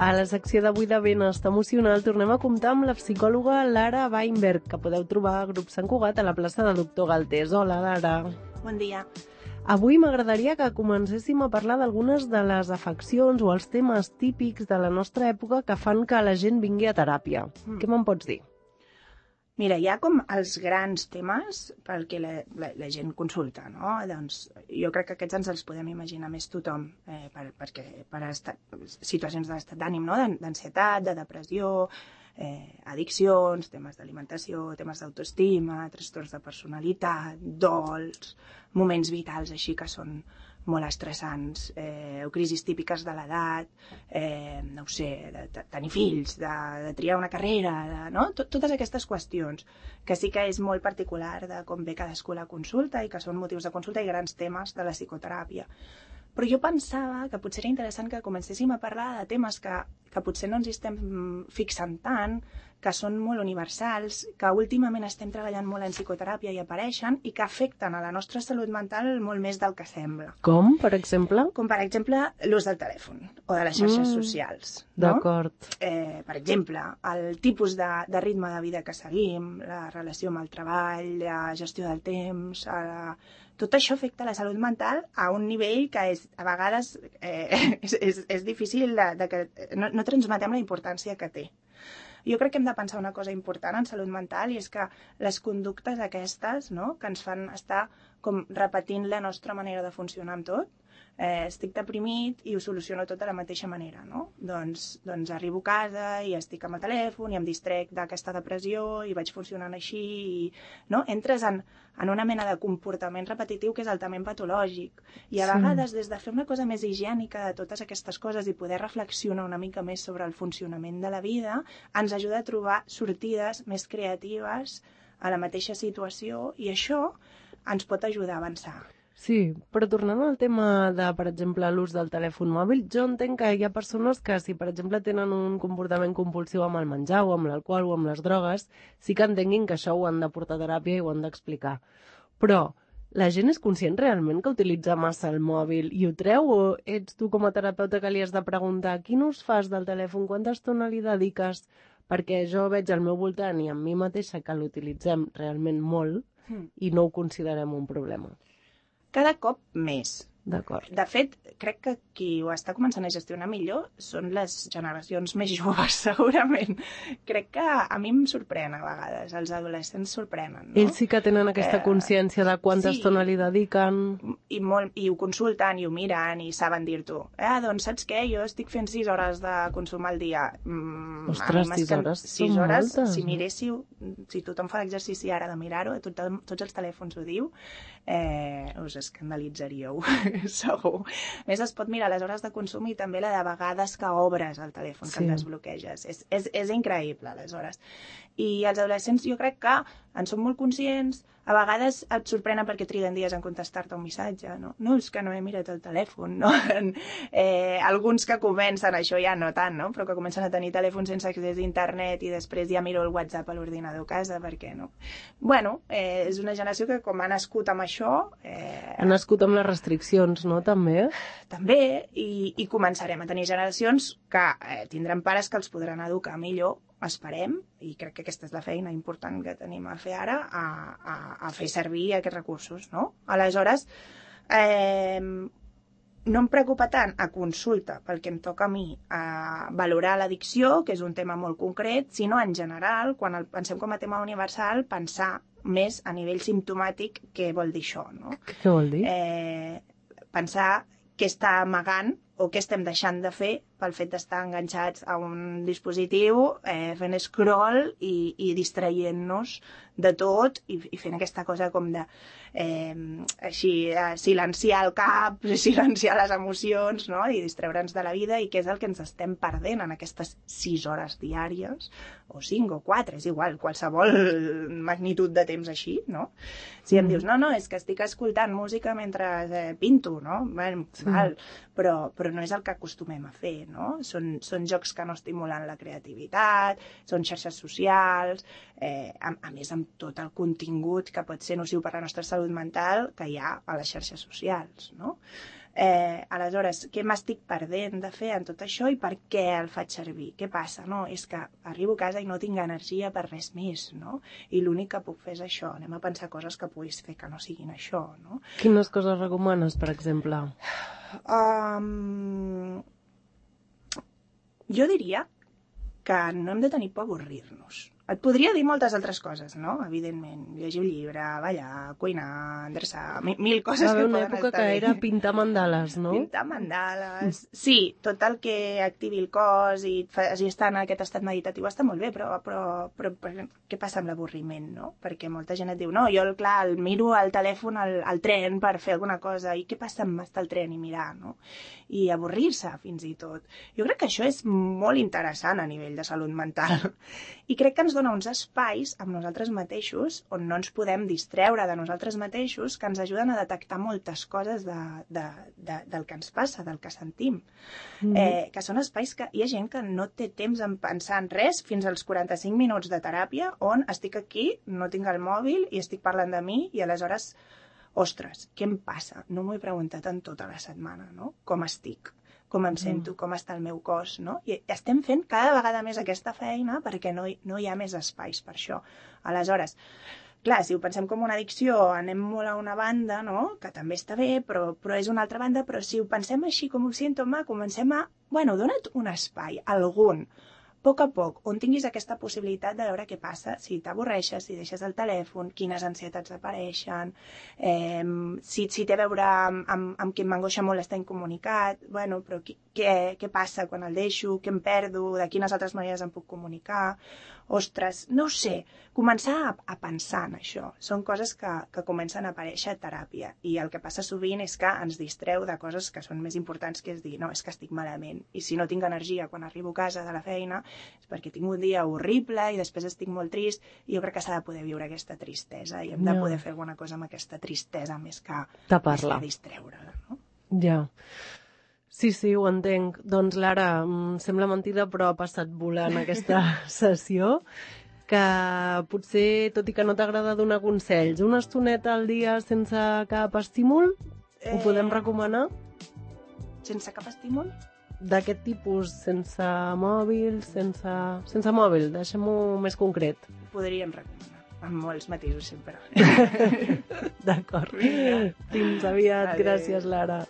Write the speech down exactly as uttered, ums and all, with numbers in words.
A la secció d'avui de Benestar Emocional tornem a comptar amb la psicòloga Lara Weinberg, que podeu trobar a Grup Sant Cugat a la plaça de Doctor Galtés. Hola, Lara. Bon dia. Avui m'agradaria que comencéssim a parlar d'algunes de les afeccions o els temes típics de la nostra època que fan que la gent vingui a teràpia. Mm. Què me'n pots dir? Mira, hi ha com els grans temes perquè la, la, la gent consulta, no? Doncs jo crec que aquests ens els podem imaginar més tothom, eh, per, perquè per estat, situacions d'estat d'ànim, no? D'ansietat, de depressió, eh, addiccions, temes d'alimentació, temes d'autoestima, trastorns de personalitat, dols, moments vitals així que són molt estressants, eh, o crisis típiques de l'edat, eh, no ho sé, de, de tenir fills, de, de triar una carrera, de, no? Tot, totes aquestes qüestions, que sí que és molt particular de com ve cadascú a la consulta i que són motius de consulta i grans temes de la psicoteràpia. Però jo pensava que potser era interessant que comencéssim a parlar de temes que, que potser no ens hi estem fixant tant, que són molt universals, que últimament estem treballant molt en psicoteràpia i apareixen i que afecten a la nostra salut mental molt més del que sembla. Com, per exemple? Com, per exemple, l'ús del telèfon o de les xarxes mm, socials. No? D'acord. Eh, per exemple, el tipus de, de ritme de vida que seguim, la relació amb el treball, la gestió del temps, la... tot això afecta la salut mental a un nivell que és, a vegades eh, és, és, és difícil de, de que no, no transmetem la importància que té. Jo crec que hem de pensar una cosa important en salut mental i és que les conductes aquestes, no?, que ens fan estar com repetint la nostra manera de funcionar amb tot, eh, estic deprimit i ho soluciono tot de la mateixa manera, no? Doncs, doncs arribo a casa i estic amb el telèfon i em distrec d'aquesta depressió i vaig funcionant així i, no? Entres en, en una mena de comportament repetitiu que és altament patològic i a sí. vegades des de fer una cosa més higiènica de totes aquestes coses i poder reflexionar una mica més sobre el funcionament de la vida ens ajuda a trobar sortides més creatives a la mateixa situació i això ens pot ajudar a avançar. Sí, però tornant al tema de, per exemple, l'ús del telèfon mòbil, jo entenc que hi ha persones que, si per exemple tenen un comportament compulsiu amb el menjar o amb l'alcohol o amb les drogues, sí que entenguin que això ho han de portar a teràpia i ho han d'explicar. Però la gent és conscient realment que utilitza massa el mòbil i ho treu, o ets tu com a terapeuta que li has de preguntar quin ús fas del telèfon, quanta estona li dediques? Perquè jo veig al meu voltant i a mi mateixa que l'utilitzem realment molt mm. i no ho considerem un problema. Cada cop més. D'acord. De fet, crec que qui ho està començant a gestionar millor són les generacions més joves, segurament. Crec que a mi em sorprèn a vegades, els adolescents sorprenen, no? Ells sí que tenen aquesta consciència de quanta sí, estona li dediquen. I, molt, I ho consulten, i ho miren, i saben dir-t'ho. Ah, doncs saps què? Jo estic fent sis hores de consum al dia. Mm, Ostres, sis hores sis són hores, moltes. Si miréssiu, si tothom fa l'exercici ara de mirar-ho, tot, tots els telèfons ho diu, eh, us escandalitzaríeu. Segur. A més, es pot mirar les hores de consum i també la de vegades que obres el telèfon, que sí. el desbloqueges. És, és, és increïble, aleshores. I els adolescents jo crec que en són molt conscients, a vegades et sorprenen perquè triguen dies en contestar-te un missatge, no? No, és que no he mirat el telèfon, no? Eh, alguns que comencen, això ja no tant, no? Però que comencen a tenir telèfon sense accés a internet i després ja miro el WhatsApp a l'ordinador a casa, per què no? Bueno, eh, és una generació que com ha nascut amb això... Eh... Ha nascut amb les restriccions, no? També? També, i, i començarem a tenir generacions que eh, tindran pares que els podran educar millor, esperem, i crec que aquesta és la feina important que tenim a fer ara, a, a, a fer servir aquests recursos, no? Aleshores, eh, no em preocupa tant a consulta pel que em toca a mi a valorar l'addicció, que és un tema molt concret, sinó en general, quan el pensem com a tema universal, pensar més a nivell simptomàtic què vol dir això, no? Què vol dir? Eh, pensar què està amagant o què estem deixant de fer pel fet d'estar enganxats a un dispositiu, eh, fent scroll i, i distraient-nos de tot i, i fent aquesta cosa com de eh, així, eh, silenciar el cap, silenciar les emocions, no? I distreure'ns de la vida, i què és el que ens estem perdent en aquestes sis hores diàries, o cinc o quatre, és igual, qualsevol magnitud de temps així, no? Si em mm. dius, no, no, és que estic escoltant música mentre eh, pinto, no? Bueno, sí. val, però, però no és el que acostumem a fer, no? Són, són jocs que no estimulen la creativitat, són xarxes socials, eh, a, a més amb tot el contingut que pot ser nociu per la nostra salut mental que hi ha a les xarxes socials, no? Eh, aleshores, què m'estic perdent de fer en tot això i per què el faig servir? Què passa? No? És que arribo a casa i no tinc energia per res més, no? I l'únic que puc fer és això. Anem a pensar coses que puguis fer que no siguin això, no? Quines coses recomanes, per exemple? Um, jo diria que no hem de tenir por a avorrir-nos. Et podria dir moltes altres coses, no? Evidentment, llegir un llibre, ballar, cuinar, endreçar, mil, mil coses que poden estar bé. Va haver una època que era pintar mandales, no? Pintar mandales... Sí, tot el que activi el cos i et faci estar en aquest estat meditatiu està molt bé, però, però, però, però què passa amb l'avorriment, no? Perquè molta gent et diu, no, jo, clar, el miro al telèfon al, al tren per fer alguna cosa, i què passa amb estar al tren i mirar, no? I avorrir-se, fins i tot. Jo crec que això és molt interessant a nivell de salut mental. I crec que ens dona uns espais amb nosaltres mateixos on no ens podem distreure de nosaltres mateixos que ens ajuden a detectar moltes coses de, de, de, del que ens passa, del que sentim. Mm. Eh, que són espais que hi ha gent que no té temps en pensar en res fins als quaranta-cinc minuts de teràpia on estic aquí, no tinc el mòbil i estic parlant de mi i aleshores, ostres, què em passa? No m'ho he preguntat en tota la setmana, no? Com estic? Com em sento, com està el meu cos, no? I estem fent cada vegada més aquesta feina perquè no hi, no hi ha més espais per això. Aleshores, clar, si ho pensem com una addicció, anem molt a una banda, no? Que també està bé, però, però és una altra banda, però si ho pensem així com un símptoma, comencem a, bueno, dona't un espai, algun, a poc a poc, on tinguis aquesta possibilitat de veure què passa, si t'avorreixes, si deixes el telèfon, quines ansietats apareixen, eh, si, si té a veure amb, amb, amb qui m'angoixa molt estar incomunicat, bueno, però qui, què, què passa quan el deixo, què em perdo, de quines altres maneres em puc comunicar, ostres, no ho sé, començar a, a pensar en això. Són coses que, que comencen a aparèixer a teràpia i el que passa sovint és que ens distreu de coses que són més importants, que és dir, no, és que estic malament i si no tinc energia quan arribo a casa de la feina és perquè tinc un dia horrible i després estic molt trist i jo crec que s'ha de poder viure aquesta tristesa i hem de no. poder fer alguna cosa amb aquesta tristesa més que, més que distreure-la, no? Ja. Sí, sí, ho entenc. Doncs, Lara, em sembla mentida, però ha passat volant aquesta sessió, que potser, tot i que no t'agrada donar consells, una estoneta al dia sense cap estímul, eh... ho podem recomanar? Sense cap estímul? D'aquest tipus, sense mòbil, sense... Sense mòbil, deixem-ho més concret. Ho podríem recomanar, amb molts matisos sempre. D'acord. Fins aviat. Adeu. Gràcies, Lara.